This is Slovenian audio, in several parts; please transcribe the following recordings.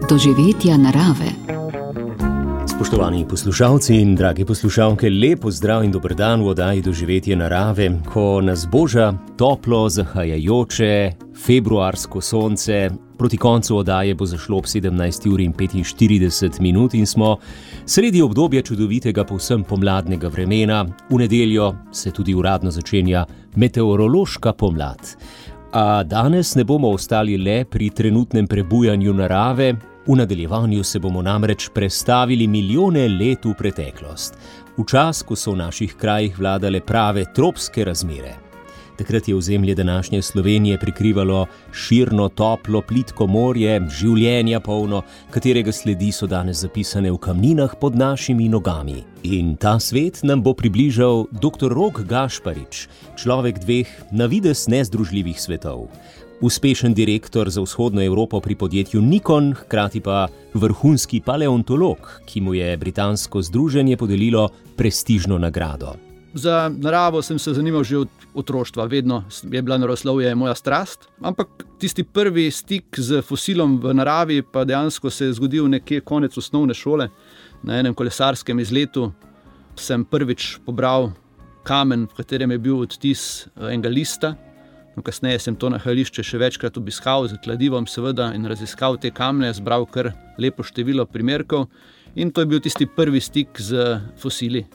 doživetja narave. Spoštovani poslušalci in dragi poslušalke, lep pozdrav in dober dan v oddaji Doživetje narave, ko nas boža toplo zahajajoče februarsko sonce. Proti koncu oddaje bo zašlo ob 17:45 in smo sredi obdobja čudovitega povsem pomladnega vremena. V nedeljo se tudi uradno začenja meteorološka pomlad. A danes ne bomo ostali le pri trenutnem prebujanju narave, v nadaljevanju se bomo namreč prestavili milijone let v preteklost, v čas, ko so v naših krajih vladale prave tropske razmere. Takrat je ozemlje današnje Slovenije prikrivalo širno, toplo, plitko morje, življenja polno, katerega sledi so danes zapisane v kamninah pod našimi nogami. In ta svet nam bo približal dr. Rok Gašparič, človek dveh na videz nezdružljivih svetov. Uspešen direktor za vzhodno Evropo pri podjetju Nikon, hkrati pa vrhunski paleontolog, ki mu je britansko združenje podelilo prestižno nagrado. Za naravo sem se zanimal že od otroštva, vedno je bila naravoslovje moja strast, ampak tisti prvi stik z fosilom v naravi pa dejansko se je zgodil nekje konec osnovne šole. Na enem kolesarskem izletu sem prvič pobral kamen, v katerem je bil odtis enega lista. Kasneje sem to nahajališče še večkrat obiskal z kladivom seveda in raziskal te kamne, zbral kar lepo število primerkov in to je bil tisti prvi stik z fosili.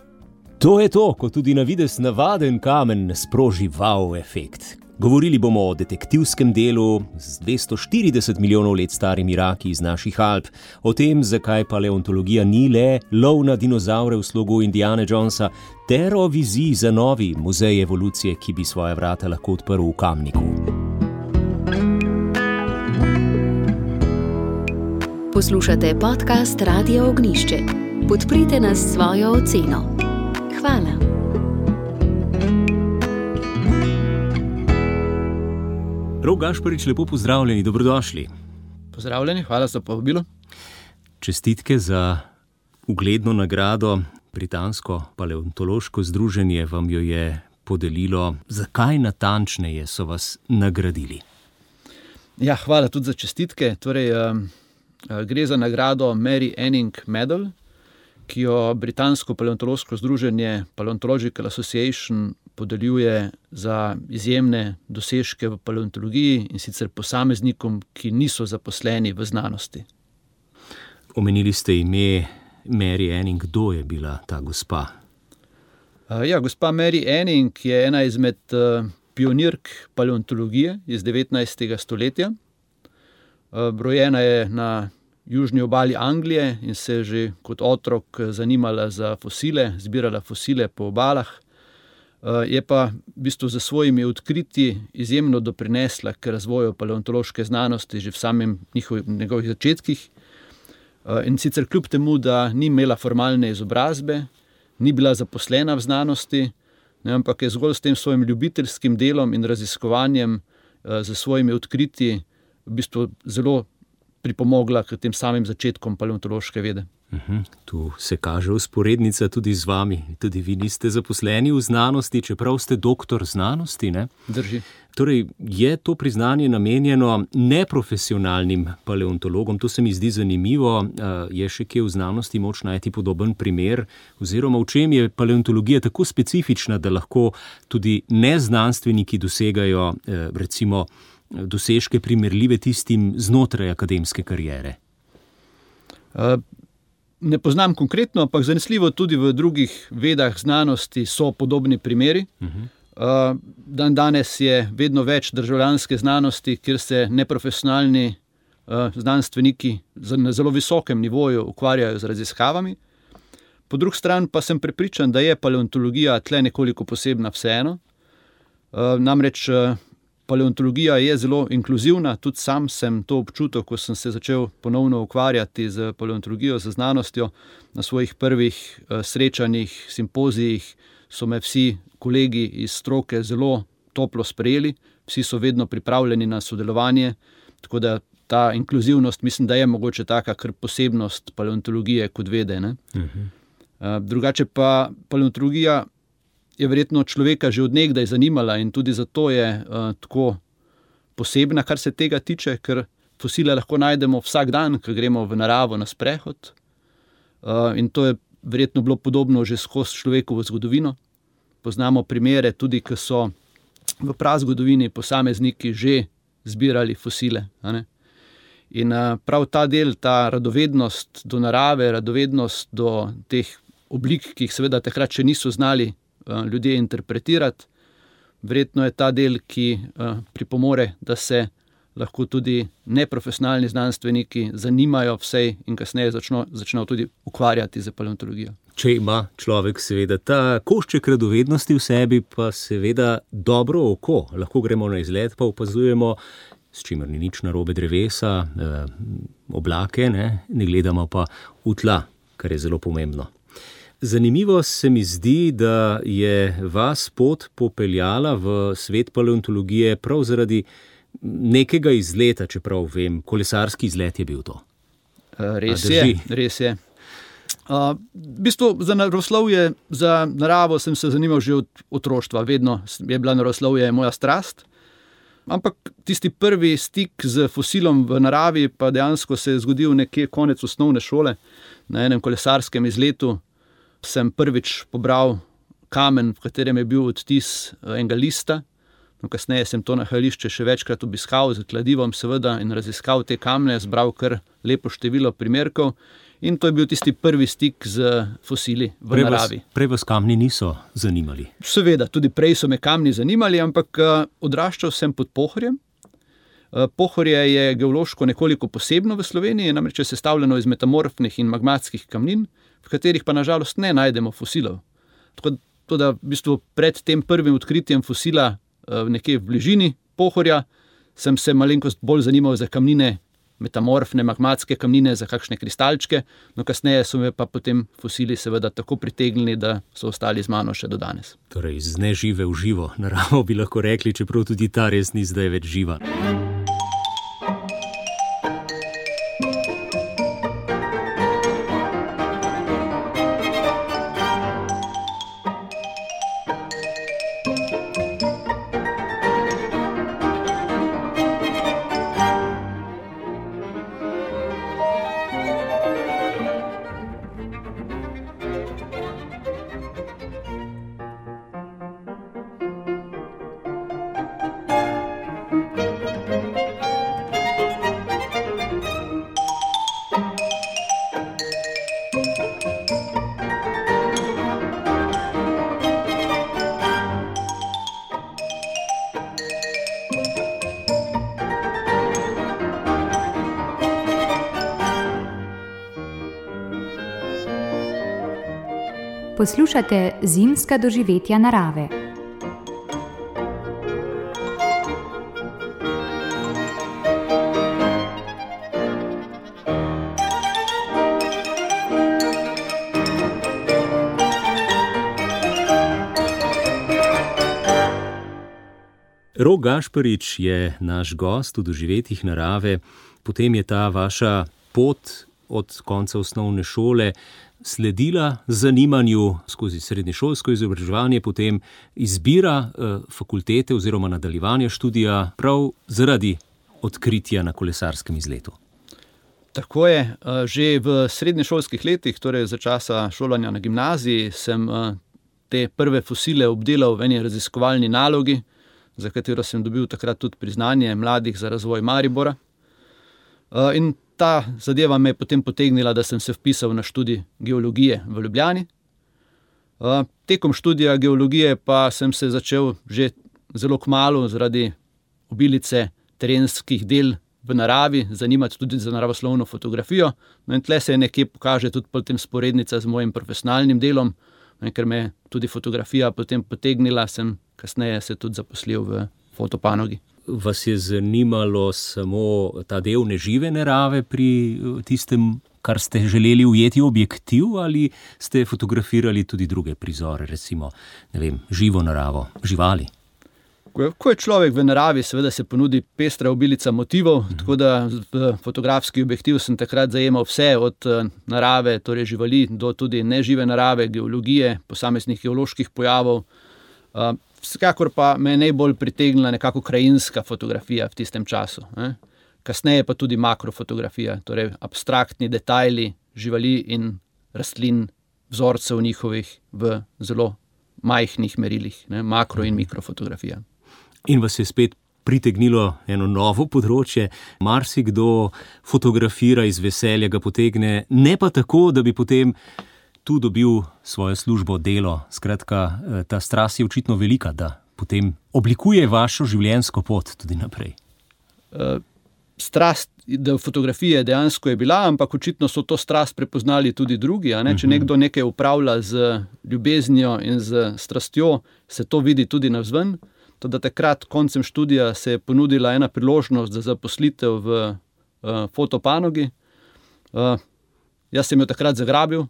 To je to, ko tudi na videz navaden kamen sproži wow efekt. Govorili bomo o detektivskem delu z 240 milijonov let starimi raki iz naših Alp, o tem, zakaj paleontologija ni le lov na dinozavre v slogu Indiane Jonesa, ter o viziji za novi muzej evolucije, ki bi svoja vrata lahko odprl v Kamniku. Poslušate podcast Radia Ognjišče. Podprite nas s svojo oceno. Hvala. Rok Gašparič, lepo pozdravljeni, dobrodošli. Pozdravljeni, hvala za povabilo. Čestitke za ugledno nagrado. Britansko paleontološko združenje vam jo je podelilo. Zakaj natančneje so vas nagradili? Ja, hvala tudi za čestitke. Torej, gre za nagrado Mary Anning Medal, ki jo britansko paleontološko združenje Paleontological Association podeljuje za izjemne dosežke v paleontologiji in sicer posameznikom, ki niso zaposleni v znanosti. Omenili ste ime Mary Anning. Kdo je bila ta gospa? Gospa Mary Anning je ena izmed pionirk paleontologije iz 19. stoletja. Rojena je na južni obali Anglije in se je že kot otrok zanimala za fosile, zbirala fosile po obalah. Je pa v bistvu za svojimi odkritji izjemno doprinesla k razvoju paleontološke znanosti že v samem njegovih začetkih. In sicer kljub temu, da ni imela formalne izobrazbe, ni bila zaposlena v znanosti, ampak je zgolj s tem svojim ljubiteljskim delom in raziskovanjem za svojimi odkritji v bistvu zelo pripomogla k tem samim začetkom paleontološke vede. Tu se kaže vzporednica tudi z vami. Tudi vi niste zaposleni v znanosti, čeprav ste doktor znanosti, ne? Drži. Torej, je to priznanje namenjeno neprofesionalnim paleontologom? To se mi zdi zanimivo. Je še kje v znanosti moč najti podoben primer? Oziroma, v čem je paleontologija tako specifična, da lahko tudi neznanstveniki dosegajo, recimo, dosežke primerljive tistim znotraj akademske kariere? Ne poznam konkretno, ampak zanesljivo tudi v drugih vedah znanosti so podobni primeri. Danes je vedno več državljanske znanosti, kjer se neprofesionalni znanstveniki na zelo visokem nivoju ukvarjajo z raziskavami. Po drugi strani pa sem prepričan, da je paleontologija tle nekoliko posebna vseeno. Namreč paleontologija je zelo inkluzivna, tudi sam sem to občutil, ko sem se začel ponovno ukvarjati z paleontologijo, z znanostjo. Na svojih prvih srečanjih, simpozijih so me vsi kolegi iz stroke zelo toplo sprejeli, vsi so vedno pripravljeni na sodelovanje, tako da ta inkluzivnost mislim, da je mogoče taka kar posebnost paleontologije kot vede, ne? Drugače pa paleontologija je verjetno človeka že od nekdaj zanimala in tudi zato je tako posebna, kar se tega tiče, ker fosile lahko najdemo vsak dan, ko gremo v naravo na sprehod. In to je verjetno bilo podobno že skozi človekovo zgodovino. Poznamo primere tudi, ko so v prazgodovini posamezniki že zbirali fosile. In prav ta del, ta radovednost do narave, radovednost do teh oblik, ki jih seveda takrat še niso znali ljudje interpretirati, verjetno je ta del, ki pripomore, da se lahko tudi neprofesionalni znanstveniki zanimajo vsej in kasneje začnejo tudi ukvarjati z paleontologijo. Če ima človek seveda ta košček radovednosti v sebi, pa seveda dobro oko, lahko gremo na izlet, pa opazujemo, s čimer ni nič narobe, drevesa, oblake, ne gledamo pa v tla, kar je zelo pomembno. Zanimivo se mi zdi, da je vas pot popeljala v svet paleontologije prav zaradi nekega izleta, čeprav vem, kolesarski izlet je bil to. Res je. V bistvu za naravoslovje, za naravo sem se zanimal že od otroštva, vedno je bila naravoslovje moja strast. Ampak tisti prvi stik z fosilom v naravi pa dejansko se je zgodil nekje konec osnovne šole. Na enem kolesarskem izletu sem prvič pobral kamen, v katerem je bil odtis enega lista. Kasneje sem to nahajališče še večkrat obiskal z kladivom seveda in raziskal te kamne, zbral kar lepo število primerkov. In to je bil tisti prvi stik z fosili v naravi. Prej vas kamni niso zanimali? Seveda, tudi prej so me kamni zanimali, ampak odraščal sem pod Pohorjem. Pohorje je geološko nekoliko posebno v Sloveniji, namreč je sestavljeno iz metamorfnih in magmatskih kamnin, v katerih pa nažalost ne najdemo fosilov. Tako da v bistvu pred tem prvim odkritjem fosila nekje v bližini Pohorja sem se malenkost bolj zanimal za kamnine, metamorfne, magmatske kamnine, za kakšne kristalčke, no kasneje so me pa potem fosili seveda tako pritegnili, da so ostali z mano še do danes. Torej, iz nežive v živo naravo bi lahko rekli, čeprav tudi ta res ni zdaj več živa. Poslušate zimska doživetja narave. Rok Gašparič je naš gost v doživetjih narave, potem je ta vaša pot od konca osnovne šole sledila zanimanju skozi srednješolsko izobraževanje, potem izbira fakultete oziroma nadaljevanja študija prav zaradi odkritja na kolesarskem izletu. Tako je. Že v srednješolskih letih, torej za časa šolanja na gimnaziji, sem te prve fosile obdelal v eni raziskovalni nalogi, za katero sem dobil takrat tudi priznanje Mladih za razvoj Maribora. In ta zadeva me je potem potegnila, da sem se vpisal na študij geologije v Ljubljani. Tekom študija geologije pa sem se začel že zelo kmalu zaradi obilice terenskih del v naravi zanimati tudi za naravoslovno fotografijo. No in tle se nekje pokaže tudi potem sporednica z mojim profesionalnim delom, ker me je tudi fotografija potem potegnila, sem kasneje se tudi zaposlil v fotopanogi. Vas je zanimalo samo ta del nežive narave pri tistem, kar ste želeli ujeti v objektiv, ali ste fotografirali tudi druge prizore, recimo, ne vem, živo naravo, živali? Ko je človek v naravi, seveda se ponudi pestra obilica motivov, tako da v fotografski objektiv sem takrat zajemal vse od narave, torej živali, do tudi nežive narave, geologije, posameznih geoloških pojavov. Vsekakor pa me je najbolj pritegnila nekako krajinska fotografija v tistem času. kasneje pa tudi makrofotografija, torej abstraktni detajli živali in rastlin, vzorcev njihovih v zelo majhnih merilih, makro- in mikrofotografija. In vas je spet pritegnilo eno novo področje, marsikdo fotografira iz veselja, ga potegne, ne pa tako, da bi potem tu dobil svojo službo, delo. Skratka, ta strast je očitno velika, da potem oblikuje vašo življenjsko pot tudi naprej. Strast do fotografije dejansko je bila, ampak očitno so to strast prepoznali tudi drugi. Če nekdo nekaj upravlja z ljubeznijo in z strastjo, se to vidi tudi navzven. Toda takrat, koncem študija, se je ponudila ena priložnost za zaposlitev v fotopanogi. Jaz sem jo takrat zagrabil,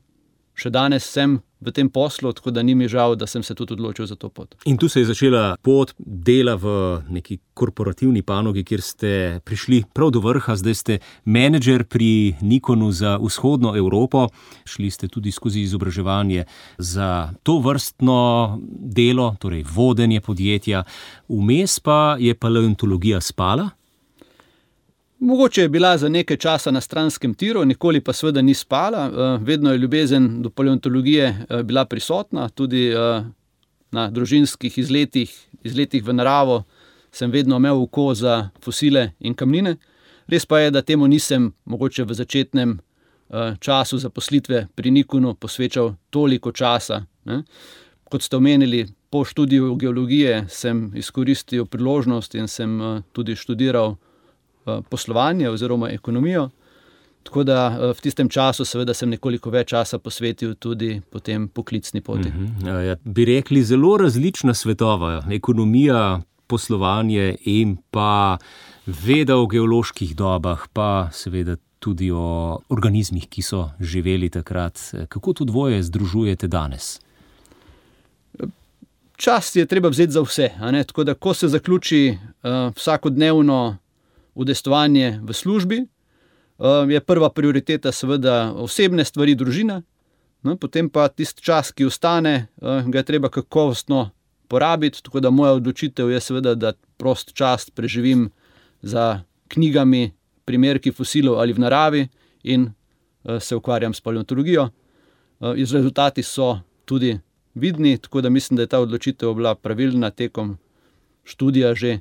še danes sem v tem poslu, tako da ni mi žal, da sem se tudi odločil za to pot. In tu se je začela pot dela v neki korporativni panogi, kjer ste prišli prav do vrha, zdaj ste menedžer pri Nikonu za vzhodno Evropo, šli ste tudi skozi izobraževanje za to vrstno delo, torej vodenje podjetja, vmes pa je paleontologija spala? Mogoče je bila za nekaj časa na stranskem tiru, nikoli pa seveda ni spala. Vedno je ljubezen do paleontologije bila prisotna, tudi na družinskih izletih v naravo sem vedno imel oko za fosile in kamnine. Res pa je, da temu nisem mogoče v začetnem času zaposlitve pri Nikonu posvečal toliko časa. Kot ste omenili, po študiju geologije sem izkoristil priložnost in sem tudi študiral poslovanje oziroma ekonomijo, tako da v tistem času seveda sem nekoliko več časa posvetil tudi potem poklicni poti. Bi rekli zelo različna svetova, ekonomija, poslovanje in pa veda o geoloških dobah, pa seveda tudi o organizmih, ki so živeli takrat. Kako to dvoje združujete danes? Čas je treba vzeti za vse, tako da ko se zaključi vsakodnevno udejstvovanje v službi, je prva prioriteta seveda osebne stvari, družina, potem pa tisti čas, ki ostane, ga je treba kakovostno porabiti, tako da moja odločitev je seveda, da prost čas preživim za knjigami, primerki fosilov ali v naravi in se ukvarjam s paleontologijo. Rezultati so tudi vidni, tako da mislim, da je ta odločitev bila pravilna tekom študija že.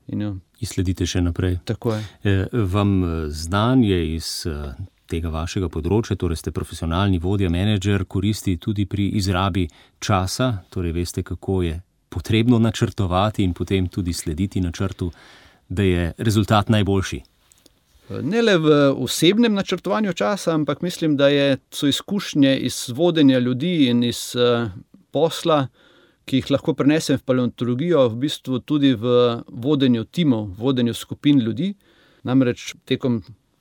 In jo sledite še naprej. Tako je. Vam znanje iz tega vašega področja, torej ste profesionalni vodja, menedžer, koristi tudi pri izrabi časa, torej veste, kako je potrebno načrtovati in potem tudi slediti načrtu, da je rezultat najboljši. Ne le v osebnem načrtovanju časa, ampak mislim, da so izkušnje iz vodenja ljudi in iz posla, ki jih lahko prenesem v paleontologijo, v bistvu tudi v vodenju timov, vodenju skupin ljudi. Namreč tekom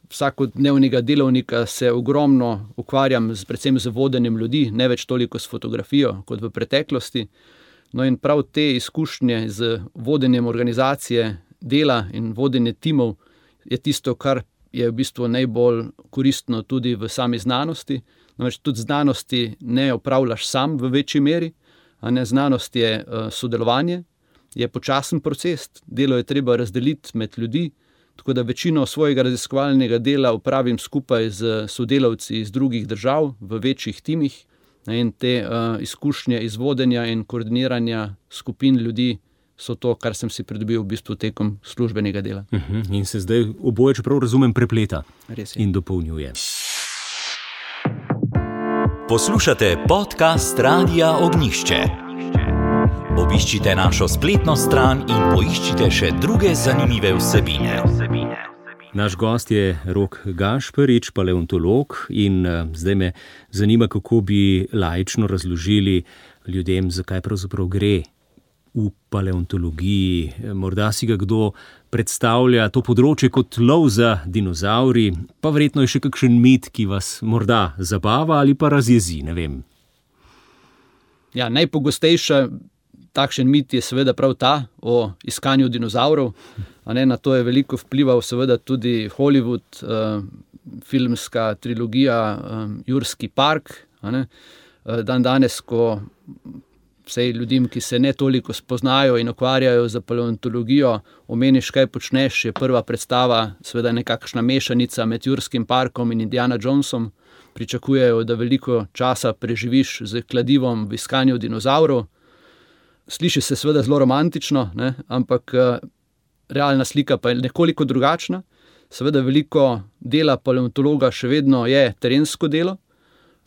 vsakodnevnega delovnika se ogromno ukvarjam predvsem z vodenjem ljudi, ne več toliko s fotografijo kot v preteklosti. No in prav te izkušnje z vodenjem organizacije dela in vodenje timov je tisto, kar je v bistvu najbolj koristno tudi v sami znanosti. Namreč tudi znanosti ne opravljaš sam v večji meri. Znanost je sodelovanje, je počasen proces, delo je treba razdeliti med ljudi, tako da večino svojega raziskovalnega dela opravim skupaj z sodelavci iz drugih držav v večjih timih in te izkušnje iz vodenja in koordiniranja skupin ljudi so to, kar sem si pridobil v bistvu tekom službenega dela. In se zdaj oboje, čeprav razumem, prepleta in dopolnjuje. Poslušate podcast Radia Ognjišče. Obiščite našo spletno stran in poiščite še druge zanimive vsebine. Naš gost je Rok Gašperič, paleontolog, in zdaj me zanima, kako bi laično razložili ljudem, zakaj pravzaprav gre v paleontologiji. Morda si ga kdo predstavlja to področje kot lov za dinozavri, pa verjetno je še kakšen mit, ki vas morda zabava ali pa razjezi, ne vem. Ja, najpogostejša takšen mit je seveda prav ta o iskanju dinozavrov. Na to je veliko vplival seveda tudi Hollywood, filmska trilogija Jurski park. Dan danes, ko vsej ljudem, ki se ne toliko spoznajo in ukvarjajo z paleontologijo, omeniš, kaj počneš, je prva predstava seveda nekakšna mešanica med Jurskim parkom in Indiana Jonesom. Pričakujejo, da veliko časa preživiš z kladivom v iskanju dinozavrov. Sliši se seveda zelo romantično, ne? Ampak realna slika pa je nekoliko drugačna. Seveda veliko dela paleontologa še vedno je terensko delo,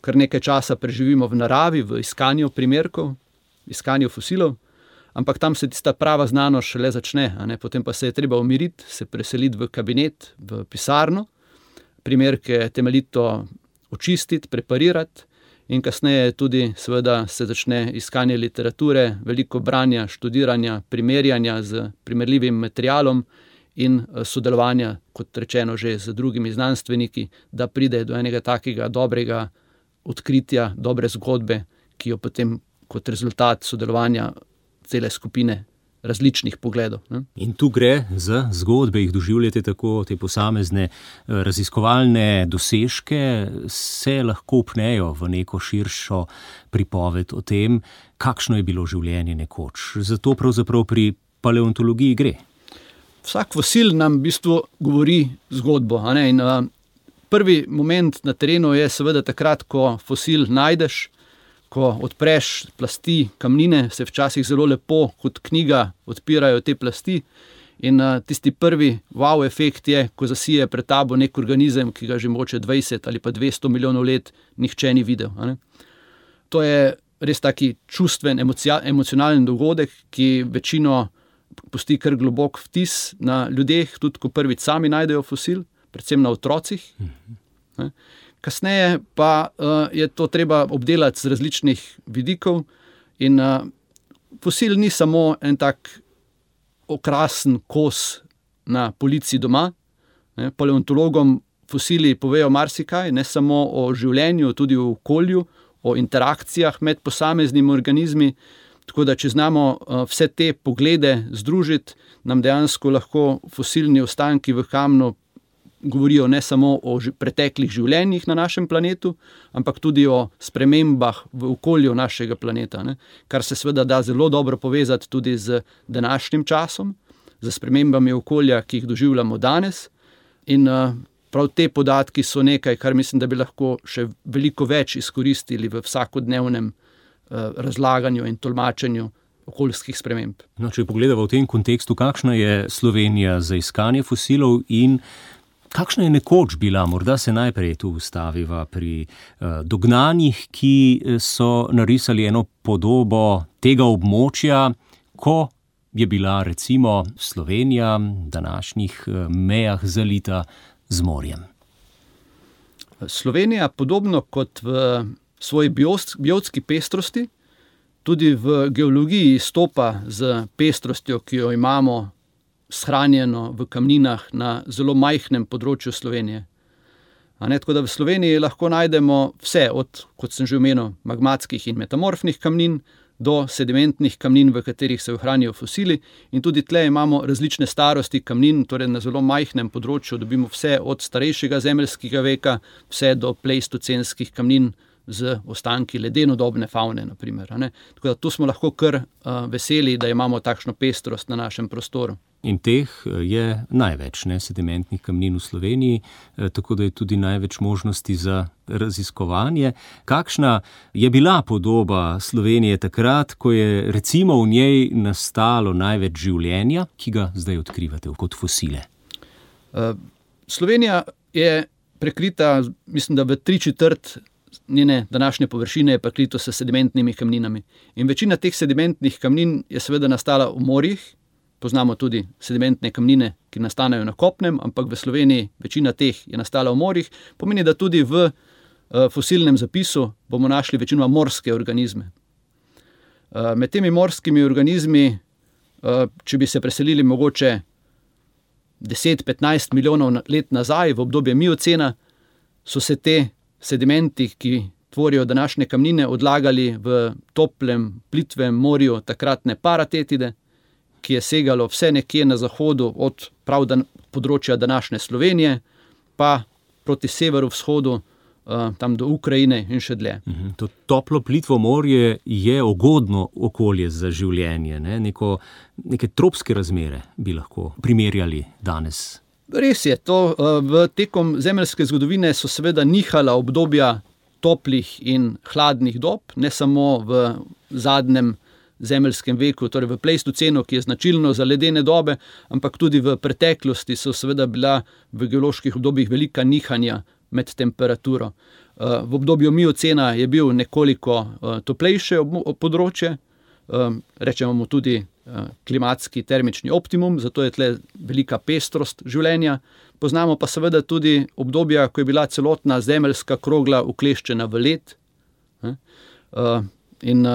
kar nekaj časa preživimo v naravi, v iskanju primerkov, iskanju fosilov, ampak tam se tista prava znanost šele začne, a ne? Potem pa se je treba umiriti, se preseliti v kabinet, v pisarno, primerke temeljito očistiti, preparirati in kasneje tudi seveda se začne iskanje literature, veliko branja, študiranja, primerjanja z primerljivim materialom in sodelovanja, kot rečeno, že z drugimi znanstveniki, da pride do enega takega dobrega odkritja, dobre zgodbe, ki jo potem kot rezultat sodelovanja cele skupine različnih pogledov. Ne? In tu gre za zgodbe, jih doživljate tako, te posamezne raziskovalne dosežke, se lahko upnejo v neko širšo pripoved o tem, kakšno je bilo življenje nekoč. Zato pravzaprav pri paleontologiji gre. Vsak fosil nam v bistvu govori zgodbo. A ne? In prvi moment na terenu je seveda takrat, ko fosil najdeš, ko odpreš plasti kamnine, se včasih zelo lepo kot knjiga odpirajo te plasti in tisti prvi wow efekt je, ko zasije pred tabo nek organizem, ki ga že mogoče 20 ali pa 200 milijonov let nihče ni videl. A ne? To je res taki čustven, emocionalen dogodek, ki večino pusti kar globok vtis na ljudeh, tudi ko prvič sami najdejo fosil, predvsem na otrocih. Kasneje pa je to treba obdelati z različnih vidikov in fosil ni samo en tak okrasen kos na polici doma. Paleontologom fosili povejo marsikaj, ne samo o življenju, tudi o okolju, o interakcijah med posameznimi organizmi, tako da če znamo vse te poglede združiti, nam dejansko lahko fosilni ostanki v kamnu govorijo ne samo o preteklih življenjih na našem planetu, ampak tudi o spremembah v okolju našega planeta, ne? Kar se seveda da zelo dobro povezati tudi z današnjim časom, z spremembami okolja, ki jih doživljamo danes. In prav te podatki so nekaj, kar mislim, da bi lahko še veliko več izkoristili v vsakodnevnem razlaganju in tolmačenju okoljskih sprememb. No, če pogledamo v tem kontekstu, kakšna je Slovenija za iskanje fosilov in kakšna je nekoč bila, morda se najprej tu ustaviva pri dognanjih, ki so narisali eno podobo tega območja, ko je bila recimo Slovenija v današnjih mejah zalita z morjem. Slovenija, podobno kot v svoji biotski pestrosti, tudi v geologiji izstopa z pestrostjo, ki jo imamo shranjeno v kamninah na zelo majhnem področju Slovenije. Tako da v Sloveniji lahko najdemo vse, od, kot sem že omenil, magmatskih in metamorfnih kamnin do sedimentnih kamnin, v katerih se ohranijo fosili, in tudi tle imamo različne starosti kamnin, torej na zelo majhnem področju dobimo vse od starejšega zemeljskega veka, vse do pleistocenskih kamnin z ostanki ledenodobne favne, na primer. Tako da tu smo lahko kar veseli, da imamo takšno pestrost na našem prostoru. In teh je največ, sedimentnih kamnin v Sloveniji, tako da je tudi največ možnosti za raziskovanje. Kakšna je bila podoba Slovenije takrat, ko je recimo v njej nastalo največ življenja, ki ga zdaj odkrivate kot fosile? Slovenija je prekrita, mislim, da v 3/4 njene današnje površine je prekrito s sedimentnimi kamninami. In večina teh sedimentnih kamnin je seveda nastala v morjih. Poznamo tudi sedimentne kamnine, ki nastanejo na kopnem, ampak v Sloveniji večina teh je nastala v morjih. Pomeni, da tudi v fosilnem zapisu bomo našli večinoma morske organizme. Med temi morskimi organizmi, če bi se preselili mogoče 10-15 milijonov let nazaj, v obdobje miocena, so se te sedimenti, ki tvorijo današnje kamnine, odlagali v toplem, plitvem morju takratne paratetide, ki je segalo vse nekje na zahodu od področja današnje Slovenije, pa proti severovzhodu tam do Ukrajine in še dlje. To toplo plitvo morje je ugodno okolje za življenje, ne? Neke tropske razmere bi lahko primerjali danes. Res je, tekom zemeljske zgodovine so seveda nihala obdobja toplih in hladnih dob, ne samo v zadnjem zemeljskem veku, torej v pleistocenu, ki je značilno za ledene dobe, ampak tudi v preteklosti so seveda bila v geoloških obdobjih velika nihanja med temperaturo. V obdobju miocena je bil nekoliko toplejše področje, rečemo mu tudi klimatski termični optimum, zato je tle velika pestrost življenja. Poznamo pa seveda tudi obdobja, ko je bila celotna zemeljska krogla ukleščena v led, in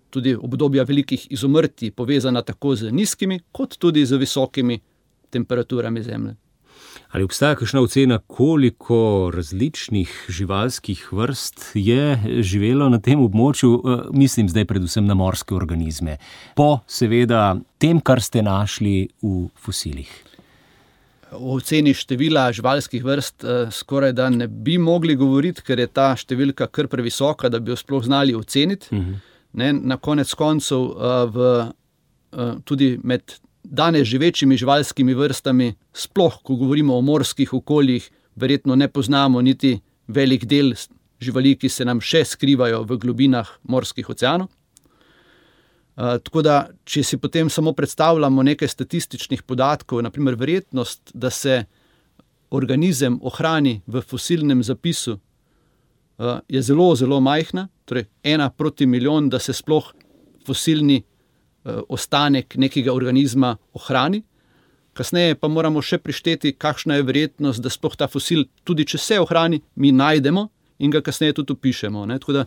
tudi obdobja velikih izumrtij, povezana tako z nizkimi, kot tudi z visokimi temperaturami Zemlje. Ali obstaja kakšna ocena, koliko različnih živalskih vrst je živelo na tem območju, mislim zdaj predvsem na morske organizme, po seveda tem, kar ste našli v fosilih? O oceni števila živalskih vrst skoraj da ne bi mogli govoriti, ker je ta številka kar previsoka, da bi jo sploh znali oceniti. Na konec koncev tudi med danes živečimi živalskimi vrstami, sploh ko govorimo o morskih okoljih, verjetno ne poznamo niti velik del živali, ki se nam še skrivajo v globinah morskih oceanov. Tako da, če si potem samo predstavljamo nekaj statističnih podatkov, na primer verjetnost, da se organizem ohrani v fosilnem zapisu, je zelo, zelo majhna, torej 1 proti milijon, da se sploh fosilni ostanek nekega organizma ohrani. Kasneje pa moramo še prišteti, kakšna je verjetnost, da sploh ta fosil, tudi če se ohrani, mi najdemo in ga kasneje tudi opišemo. Tako da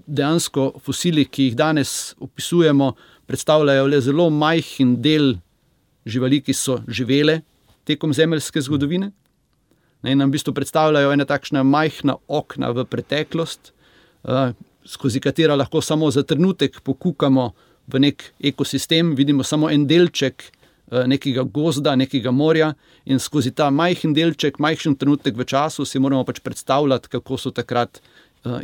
dejansko fosili, ki jih danes opisujemo, predstavljajo le zelo majhen del živali, ki so živele tekom zemeljske zgodovine. In nam v bistvu predstavljajo ena takšna majhna okna v preteklost, skozi katera lahko samo za trenutek pokukamo v nek ekosistem, vidimo samo en delček nekega gozda, nekega morja in skozi ta majhen delček, majhen trenutek v času si moramo pač predstavljati, kako so takrat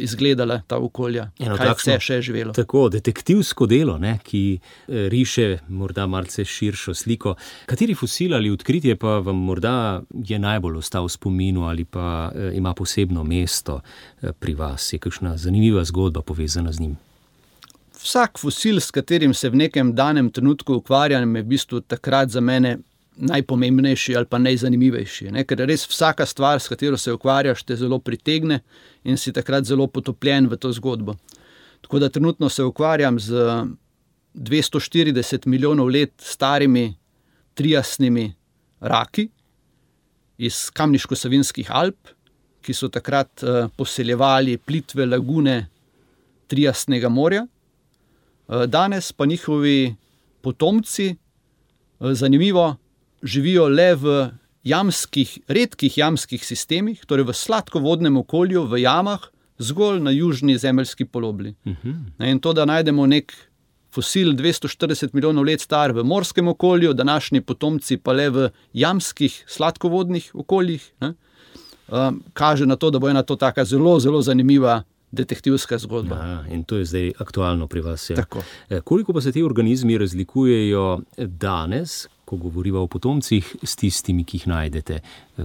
izgledala ta okolja, kaj vse še je živelo. Tako, detektivsko delo, ki riše morda malce širšo sliko. Kateri fosil ali odkritje pa vam morda je najbolj ostal v spominu ali pa ima posebno mesto pri vas? Je kakšna zanimiva zgodba povezana z njim? Vsak fosil, s katerim se v nekem danem trenutku ukvarjam, je v bistvu takrat za mene najpomembnejši ali pa najzanimivejši. Ker res vsaka stvar, s katero se ukvarjaš, te zelo pritegne in si takrat zelo potopljen v to zgodbo. Tako da trenutno se ukvarjam z 240 milijonov let starimi triasnimi raki iz Kamniško-Savinjskih Alp, ki so takrat poseljevali plitve lagune Triasnega morja. Danes pa njihovi potomci, zanimivo, živijo le v redkih jamskih sistemih, torej v sladkovodnem okolju, v jamah, zgolj na južni zemeljski polobli. In to, da najdemo nek fosil 240 milijonov let star v morskem okolju, današnji potomci pa le v jamskih sladkovodnih okoljih, kaže na to, da bo ena to taka zelo, zelo zanimiva detektivska zgodba. In to je zdaj aktualno pri vas. Tako. Koliko pa se ti organizmi razlikujejo danes, ko govoriva o potomcih, s tistimi, ki jih najdete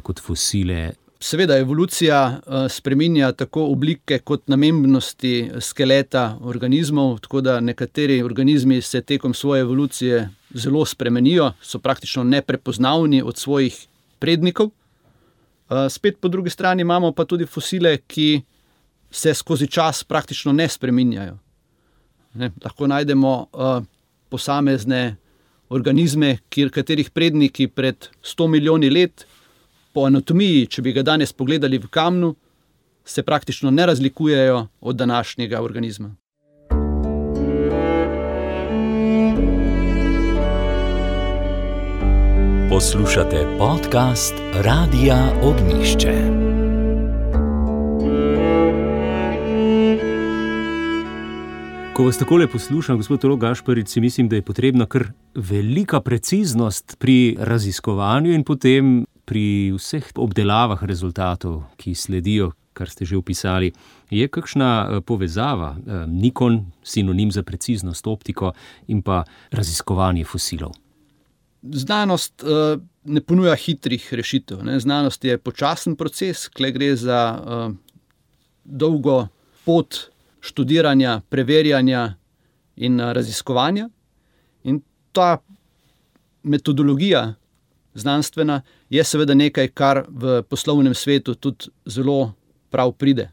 kot fosile? Seveda evolucija spreminja tako oblike kot namembnosti skeleta organizmov, tako da nekateri organizmi se tekom svoje evolucije zelo spremenijo, so praktično neprepoznavni od svojih prednikov. Spet po drugi strani imamo pa tudi fosile, ki se skozi čas praktično ne spreminjajo. Lahko najdemo posamezne organizme, katerih predniki pred 100 milijoni let po anatomiji, če bi ga danes pogledali v kamnu, se praktično ne razlikujejo od današnjega organizma. Poslušate podcast Radia Ognjišče. Ko vas takole poslušam, gospod teolog Gašparič, si mislim, da je potrebna kar velika preciznost pri raziskovanju in potem pri vseh obdelavah rezultatov, ki sledijo. kar ste že opisali. Je kakšna povezava Nikon, sinonim za preciznost optiko, in pa raziskovanje fosilov? Znanost ne ponuja hitrih rešitev. Znanost je počasen proces, kjer gre za dolgo pot študiranja, preverjanja in raziskovanja. In ta metodologija znanstvena je seveda nekaj, kar v poslovnem svetu tudi zelo prav pride.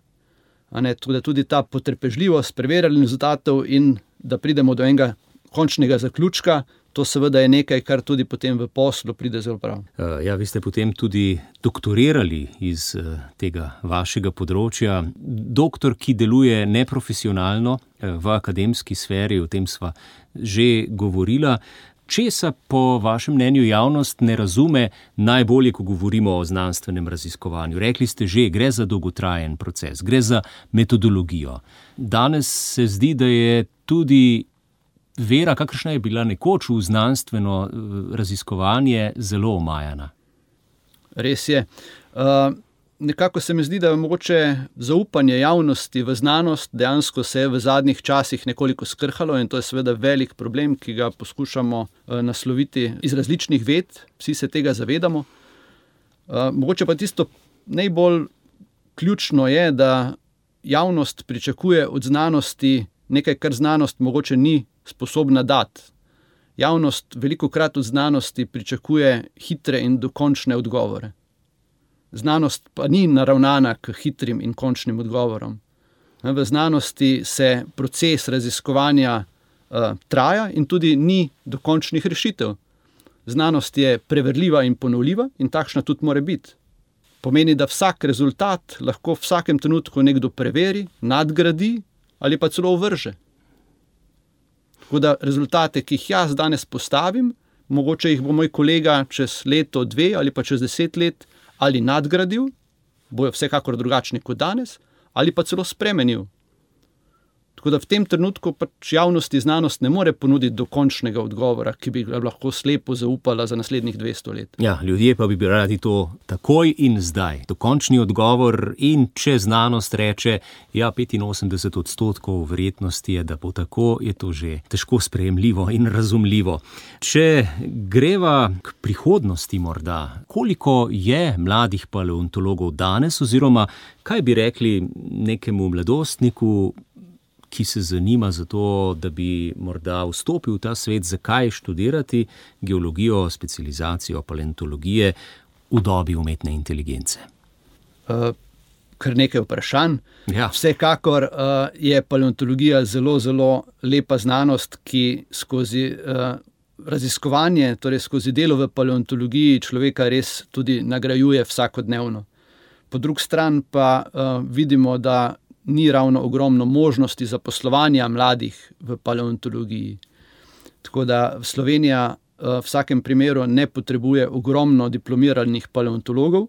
Tako da tudi ta potrpežljivost preverjanja rezultatov in da pridemo do enega končnega zaključka, to seveda je nekaj, kar tudi potem v poslu pride zelo prav. Ja, vi ste potem tudi doktorirali iz tega vašega področja. Doktor, ki deluje neprofesionalno v akademski sferi, o tem sva že govorila. Česa po vašem mnenju javnost ne razume najbolje, ko govorimo o znanstvenem raziskovanju? Rekli ste že, gre za dolgotrajen proces, gre za metodologijo. Danes se zdi, da je tudi vera, kakršna je bila nekoč v znanstveno raziskovanje, zelo omajana. Res je. Nekako se mi zdi, da je mogoče zaupanje javnosti v znanost dejansko se je v zadnjih časih nekoliko skrhalo in to je seveda velik problem, ki ga poskušamo nasloviti iz različnih ved, vsi se tega zavedamo. Mogoče pa tisto najbolj ključno je, da javnost pričakuje od znanosti nekaj, kar znanost mogoče ni sposobna dati. Javnost velikokrat od znanosti pričakuje hitre in dokončne odgovore. Znanost pa ni naravnana k hitrim in končnim odgovorom. V znanosti se proces raziskovanja traja in tudi ni dokončnih rešitev. Znanost je preverljiva in ponovljiva in takšna tudi mora biti. Pomeni, da vsak rezultat lahko v vsakem trenutku nekdo preveri, nadgradi ali pa celo ovrže. Tako da rezultate, ki jih jaz danes postavim, mogoče jih bo moj kolega čez leto, 2 ali pa čez 10 let ali nadgradil, bojo vsekakor drugačni kot danes, ali pa celo spremenil. Tako da v tem trenutku pač javnosti znanost ne more ponuditi dokončnega odgovora, ki bi ga lahko slepo zaupala za naslednjih 200 let. Ja, ljudje pa bi radi to takoj in zdaj. Dokončni odgovor in če znanost reče, ja, 85% verjetnosti je, da bo tako, je to že težko sprejemljivo in razumljivo. Če greva k prihodnosti morda, koliko je mladih paleontologov danes oziroma kaj bi rekli nekemu mladostniku, ki se zanima za to, da bi morda vstopil v ta svet, zakaj študirati geologijo, specializacijo paleontologije v dobi umetne inteligence? Kar nekaj vprašanj. Ja. Vsekakor je paleontologija zelo, zelo lepa znanost, ki skozi raziskovanje, torej skozi delo v paleontologiji človeka res tudi nagrajuje vsakodnevno. Po drugi strani pa vidimo, da ni ravno ogromno možnosti zaposlovanja mladih v paleontologiji. Tako da Slovenija v vsakem primeru ne potrebuje ogromno diplomiranih paleontologov.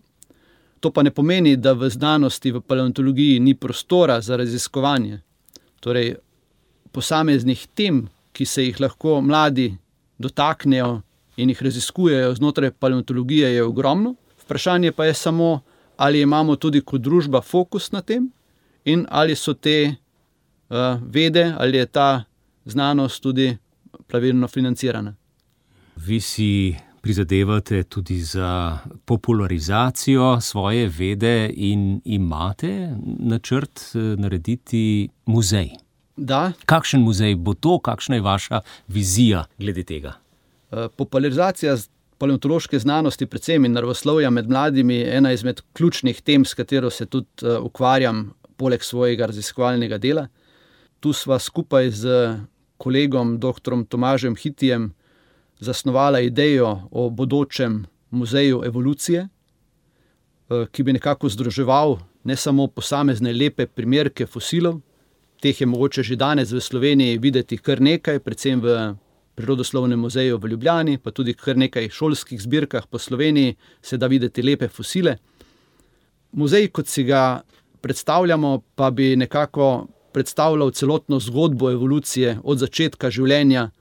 To pa ne pomeni, da v znanosti, v paleontologiji ni prostora za raziskovanje. Torej, posameznih tem, ki se jih lahko mladi dotaknejo in jih raziskujejo znotraj paleontologije, je ogromno. Vprašanje pa je samo, ali imamo tudi kot družba fokus na tem, in ali so te vede, ali je ta znanost tudi pravilno financirana. Vi si prizadevate tudi za popularizacijo svoje vede in imate načrt narediti muzej. Da. Kakšen muzej bo to? Kakšna je vaša vizija glede tega? Popularizacija paleontološke znanosti, predvsem in naravoslovja med mladimi, je ena izmed ključnih tem, s katero se tudi ukvarjam poleg svojega raziskovalnega dela. Tu sva skupaj z kolegom dr. Tomažem Hitijem zasnovala idejo o bodočem muzeju evolucije, ki bi nekako združeval ne samo posamezne lepe primerke fosilov, teh je mogoče že danes v Sloveniji videti kar nekaj, predvsem v Prirodoslovnem muzeju v Ljubljani, pa tudi kar nekaj šolskih zbirkah po Sloveniji se da videti lepe fosile. Muzej, kot si ga predstavljamo, pa bi nekako predstavljal celotno zgodbo evolucije od začetka življenja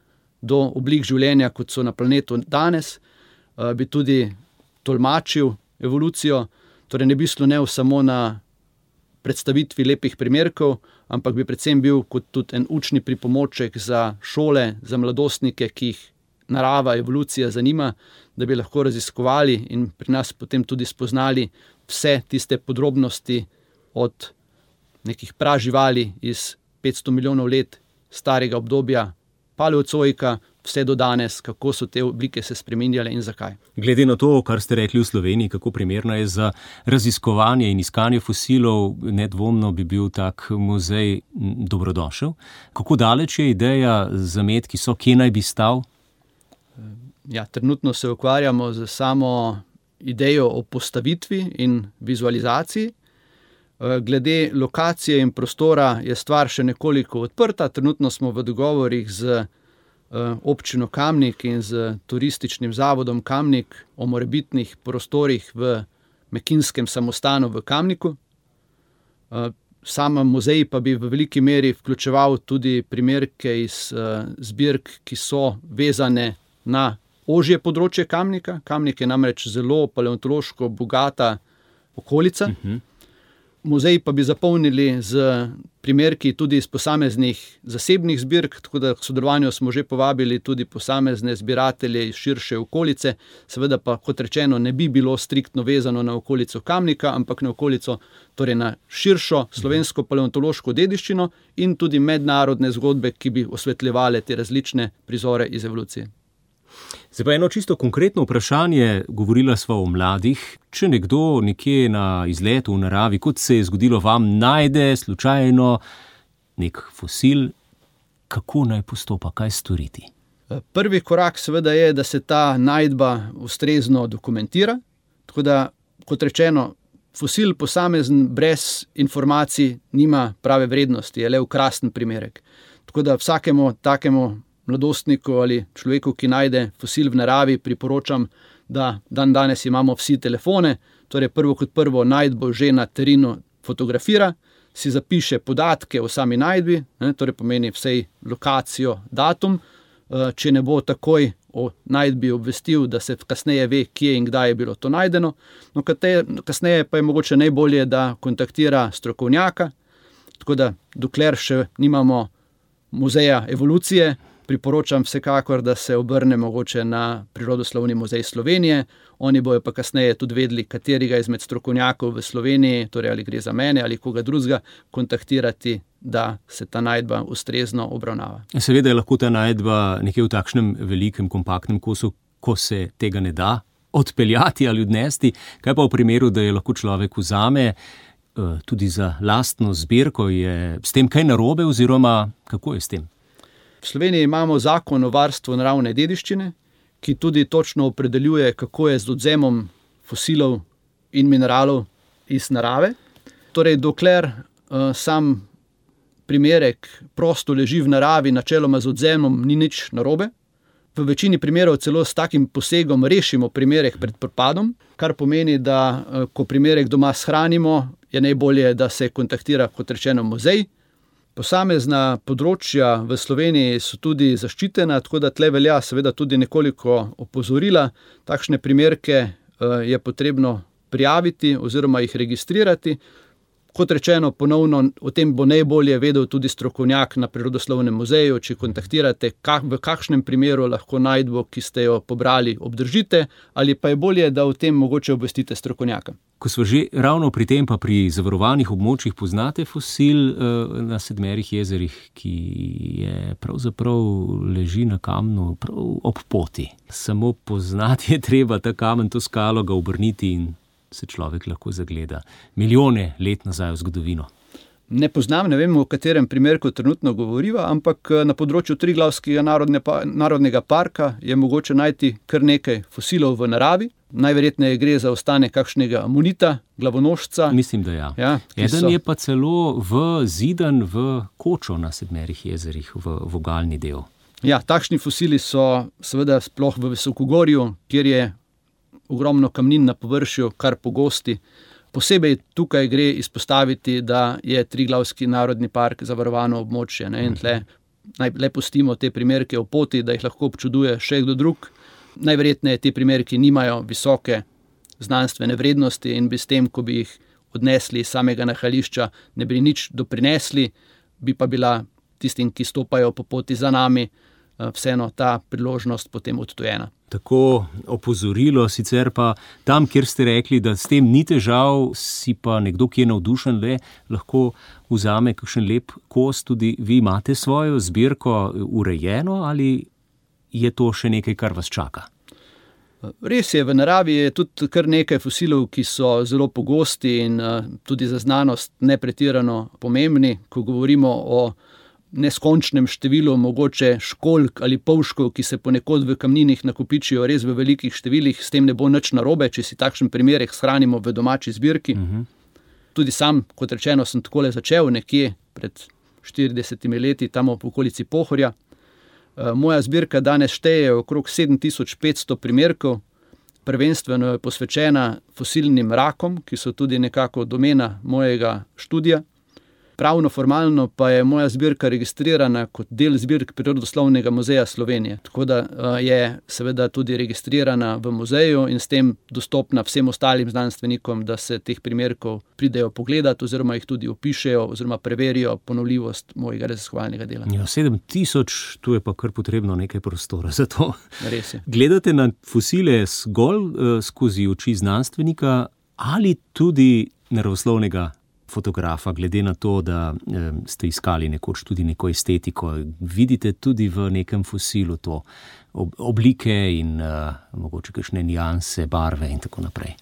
do oblik življenja, kot so na planetu danes, bi tudi tolmačil evolucijo, torej ne bi slonel samo na predstavitvi lepih primerkov, ampak bi predvsem bil kot tudi en učni pripomoček za šole, za mladostnike, ki jih narava, evolucija zanima, da bi lahko raziskovali in pri nas potem tudi spoznali vse tiste podrobnosti od nekih praživali iz 500 milijonov let starega obdobja paleozoika, vse do danes, kako so te oblike se spreminjale in zakaj. Glede na to, kar ste rekli v Sloveniji, kako primerna je za raziskovanje in iskanje fosilov, nedvomno bi bil tak muzej dobrodošel. Kako daleč je ideja, zametki so, kje naj bi stal? Ja, trenutno se ukvarjamo z samo idejo o postavitvi in vizualizaciji. Glede lokacije in prostora je stvar še nekoliko odprta. Trenutno smo v dogovorih z občino Kamnik in z turističnim zavodom Kamnik o morebitnih prostorih v Mekinskem samostanu v Kamniku. Sam muzej pa bi v veliki meri vključeval tudi primerke iz zbirk, ki so vezane na ožje področje Kamnika. Kamnik je namreč zelo paleontološko bogata okolica. Muzej pa bi zapolnili z primerki tudi iz posameznih zasebnih zbirk, tako da k sodelovanju smo že povabili tudi posamezne zbiratelje iz širše okolice. Seveda pa, kot rečeno, ne bi bilo striktno vezano na okolico Kamnika, ampak na okolico, torej na širšo slovensko paleontološko dediščino in tudi mednarodne zgodbe, ki bi osvetljevale te različne prizore iz evolucije. Zdaj pa eno čisto konkretno vprašanje, govorila sva o mladih. Če nekdo nekje na izletu v naravi, kot se je zgodilo vam, najde slučajno nek fosil, kako naj postopa, kaj storiti? Prvi korak seveda je, da se ta najdba ustrezno dokumentira. Tako da, kot rečeno, fosil posamezen brez informacij nima prave vrednosti, je le okrasten primerek. Tako da vsakemu takemu mladostniku ali človeku, ki najde fosil v naravi, priporočam, da danes imamo vsi telefone, torej prvo kot prvo najdbo že na terenu fotografira, si zapiše podatke o sami najdbi, torej pomeni vsej lokacijo, datum, če ne bo takoj o najdbi obvestil, da se kasneje ve, kje in kdaj je bilo to najdeno. No, kasneje pa je mogoče najbolje, da kontaktira strokovnjaka, tako da dokler še nimamo muzeja evolucije, priporočam vsekakor, da se obrne mogoče na Prirodoslovni muzej Slovenije. Oni bojo pa kasneje tudi vedeli, katerega izmed strokovnjakov v Sloveniji, torej ali gre za mene ali koga drugega, kontaktirati, da se ta najdba ustrezno obravnava. Seveda je lahko ta najdba nekje v takšnem velikem, kompaktnem kosu, ko se tega ne da odpeljati ali odnesti. Kaj pa v primeru, da je lahko človek vzame tudi za lastno zbirko, je s tem kaj narobe oziroma kako je s tem? V Sloveniji imamo zakon o varstvu naravne dediščine, ki tudi točno opredeljuje, kako je z odvzemom fosilov in mineralov iz narave. Torej, dokler sam primerek prosto leži v naravi, načeloma z odvzemom ni nič narobe. V večini primerov celo s takim posegom rešimo primerek pred propadom, kar pomeni, da ko primerek doma shranimo, je najbolje, da se kontaktira, kot rečeno, muzej. Posamezna področja v Sloveniji so tudi zaščitena, tako da tle velja seveda tudi nekoliko opozorila. Takšne primerke je potrebno prijaviti oziroma jih registrirati. Kot rečeno, ponovno o tem bo najbolje vedel tudi strokovnjak na Prirodoslovnem muzeju, če kontaktirate, v kakšnem primeru lahko najdbo, ki ste jo pobrali, obdržite, ali pa je bolje, da o tem mogoče obvestite strokovnjaka. Ko smo že ravno pri tem, pa pri zavarovanih območjih, poznate fosil na Sedmerih jezerih, ki je pravzaprav leži na kamnu prav ob poti. Samo poznati je treba ta kamen, to skalo, ga obrniti in se človek lahko zagleda milijone let nazaj v zgodovino. Ne poznam, ne vem, o katerem primerku trenutno govoriva, ampak na področju Triglavskega narodnega parka je mogoče najti kar nekaj fosilov v naravi. Najverjetneje gre za ostanek kakšnega amonita, glavonožca. Mislim, da ja. Eden je pa celo zidan v kočo na Sedmerih jezerih, v vogalni del. Ja, takšni fosili so seveda sploh v Visokogorju, kjer je ogromno kamnin na površju, kar pogosti. Posebej tukaj gre izpostaviti, da je Triglavski narodni park zavarovano območje. In le pustimo te primerke o poti, da jih lahko občuduje še kdo drug. Najverjetneje te primerki nimajo visoke znanstvene vrednosti in bi s tem, ko bi jih odnesli iz samega nahajališča, ne bi nič doprinesli, bi pa bila tistim, ki stopajo po poti za nami, vseeno ta priložnost potem odtujena. Tako opozorilo, sicer pa tam, kjer ste rekli, da s tem ni težav, si pa nekdo, ki je navdušen, lahko vzame kakšen lep kos, tudi vi imate svojo zbirko urejeno ali je to še nekaj, kar vas čaka? Res je, v naravi je tudi kar nekaj fosilov, ki so zelo pogosti in tudi za znanost nepretirano pomembni, ko govorimo o neskončnem številu mogoče školjk ali polškov, ki se ponekod v kamninih nakopičijo res v velikih številih, s tem ne bo nič narobe, če si takšen primerek shranimo v domači zbirki. Tudi sam, kot rečeno, sem takole začel nekje pred 40 leti, tam v okolici Pohorja. Moja zbirka danes šteje okrog 7500 primerkov, prvenstveno je posvečena fosilnim rakom, ki so tudi nekako domena mojega študija. Pravno formalno pa je moja zbirka registrirana kot del zbirk Prirodoslovnega muzeja Slovenije. Tako da je seveda tudi registrirana v muzeju in s tem dostopna vsem ostalim znanstvenikom, da se teh primerkov pridejo pogledati oziroma jih tudi opišejo oziroma preverijo ponovljivost mojega raziskovalnega dela. Ja, 7000, tu je pa kar potrebno nekaj prostora za to. Res je. Gledate na fosile zgolj skozi oči znanstvenika ali tudi naravoslovnega fotografa, glede na to, da ste iskali nekoč tudi neko estetiko, vidite tudi v nekem fosilu to oblike in mogoče kakšne nianse, barve in tako naprej.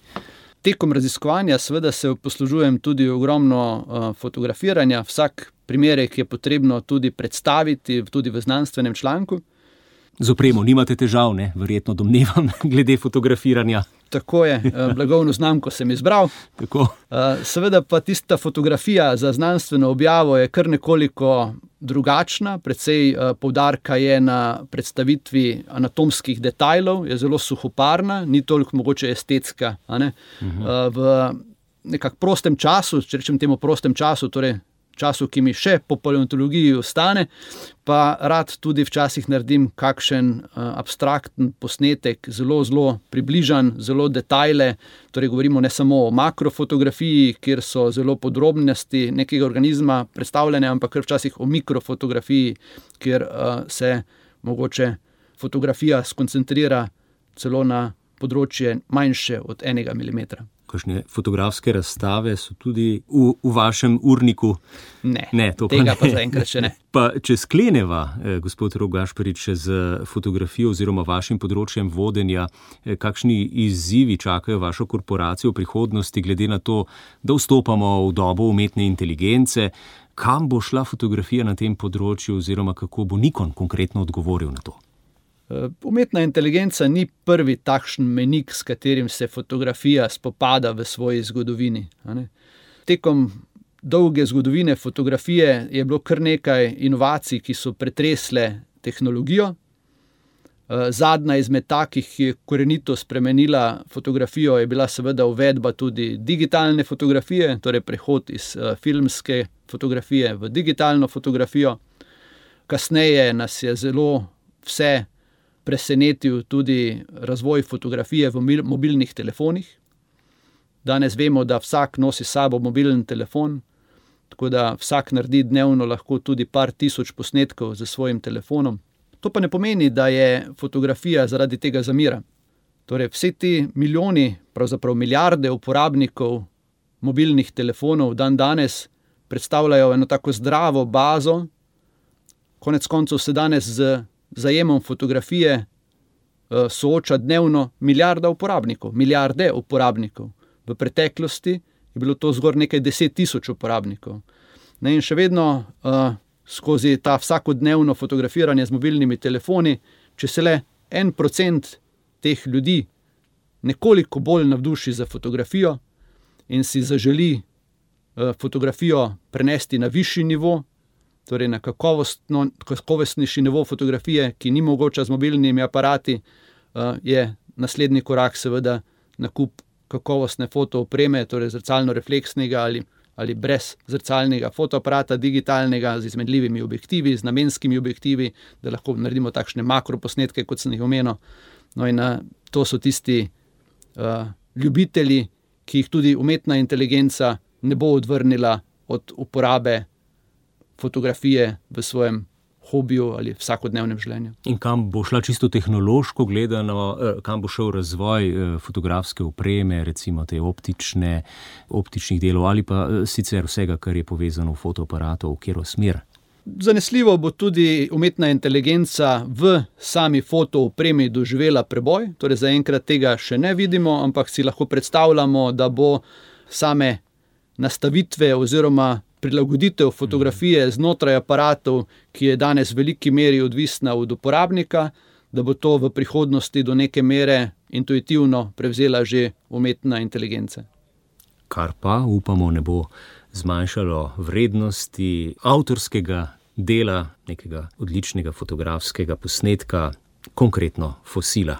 Tekom raziskovanja seveda se poslužujem tudi ogromno fotografiranja, vsak primerek je potrebno tudi predstaviti, tudi v znanstvenem članku. Z opremo nimate težav, ne? Verjetno domnevam, glede fotografiranja. Tako je, blagovno znamko sem izbral. Tako. Seveda pa tista fotografija za znanstveno objavo je kar nekoliko drugačna, precej poudarka je na predstavitvi anatomskih detajlov, je zelo suhoparna, ni toliko mogoče estetska. A ne? V nekak prostem času, če rečem temu prostem času, torej času, ki mi še po paleontologiji ostane, pa rad tudi včasih naredim kakšen abstrakten posnetek, zelo približan, zelo detajle, torej govorimo ne samo o makrofotografiji, kjer so zelo podrobnosti nekega organizma predstavljene, ampak včasih o mikrofotografiji, kjer se mogoče fotografija skoncentrira celo na področje manjše od 1 milimetra. Kakšne fotografske razstave so tudi v vašem urniku? Ne, tega pa zaenkrat še ne. Pa če skleneva, gospod Rok Gašparič, z fotografijo oziroma vašim področjem vodenja, kakšni izzivi čakajo vašo korporacijo v prihodnosti, glede na to, da vstopamo v dobo umetne inteligence, kam bo šla fotografija na tem področju oziroma kako bo Nikon konkretno odgovoril na to? Umetna inteligenca ni prvi takšen mejnik, s katerim se fotografija spopada v svoji zgodovini. Tekom dolge zgodovine fotografije je bilo kar nekaj inovacij, ki so pretresle tehnologijo. Zadnja izmed takih, ki je korenito spremenila fotografijo, je bila seveda uvedba tudi digitalne fotografije, torej prehod iz filmske fotografije v digitalno fotografijo. Kasneje nas je zelo vse presenetil tudi razvoj fotografije v mobilnih telefonih. Danes vemo, da vsak nosi s sabo mobilen telefon, tako da vsak naredi dnevno lahko tudi par tisoč posnetkov z svojim telefonom. To pa ne pomeni, da je fotografija zaradi tega zamira. Torej vse ti milijoni, pravzaprav milijarde uporabnikov mobilnih telefonov danes predstavljajo eno tako zdravo bazo. Konec koncev se danes z zajemom fotografije sooča dnevno milijarde uporabnikov. V preteklosti je bilo to zgolj nekaj 10 000 uporabnikov. In še vedno skozi ta vsakodnevno fotografiranje z mobilnimi telefoni, če se le 1% teh ljudi nekoliko bolj navduši za fotografijo in si zaželi fotografijo prenesti na višji nivo, torej na kakovostnejši nivo fotografije, ki ni mogoča z mobilnimi aparati, je naslednji korak seveda nakup kakovostne fotoopreme, torej zrcalno-refleksnega ali brez zrcalnega fotoaparata, digitalnega, z izmenljivimi objektivi, z namenskimi objektivi, da lahko naredimo takšne makroposnetke, kot sem jih omenil. No in to so tisti ljubitelji, ki jih tudi umetna inteligenca ne bo odvrnila od uporabe fotografije v svojem hobiju ali vsakodnevnem življenju. In kam bo šla čisto tehnološko gledano, kam bo šel razvoj fotografske opreme, recimo te optičnih delov ali pa sicer vsega, kar je povezano v fotoaparatu, v katero smer? Zanesljivo bo tudi umetna inteligenca v sami fotoopremi doživela preboj, torej zaenkrat tega še ne vidimo, ampak si lahko predstavljamo, da bo same nastavitve oziroma prilagoditev fotografije znotraj aparatov, ki je danes v veliki meri odvisna od uporabnika, da bo to v prihodnosti do neke mere intuitivno prevzela že umetna inteligenca. Kar pa, upamo, ne bo zmanjšalo vrednosti avtorskega dela, nekega odličnega fotografskega posnetka, konkretno fosila.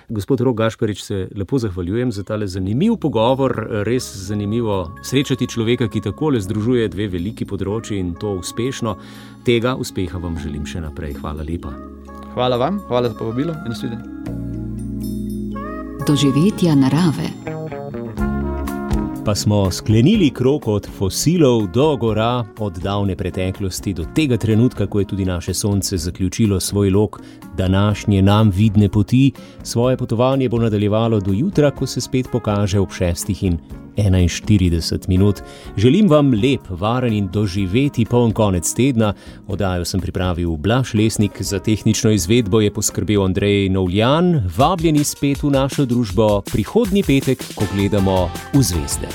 Gospod Rok Gašparič, se lepo zahvaljujem za tale zanimiv pogovor, res zanimivo srečati človeka, ki takole združuje dve veliki področji in to uspešno. Tega uspeha vam želim še naprej. Hvala lepa. Hvala vam, hvala za povabilo in nasvidenje. Doživetja narave. Pa smo sklenili krog od fosilov do gora, od davne preteklosti do tega trenutka, ko je tudi naše sonce zaključilo svoj lok današnje nam vidne poti. Svoje potovanje bo nadaljevalo do jutra, ko se spet pokaže ob 6:41. Želim vam lep, varen in doživeti poln konec tedna. Oddajo sem pripravil Blaž Lesnik, za tehnično izvedbo je poskrbel Andrej Novljan. Vabljeni spet v našo družbo prihodnji petek, ko gledamo v zvezde.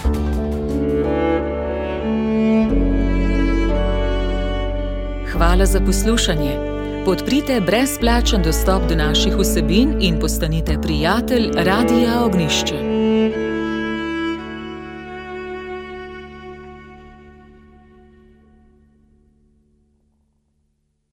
Hvala za poslušanje. Podprite brezplačen dostop do naših vsebin in postanite prijatelj Radia Ognjišče.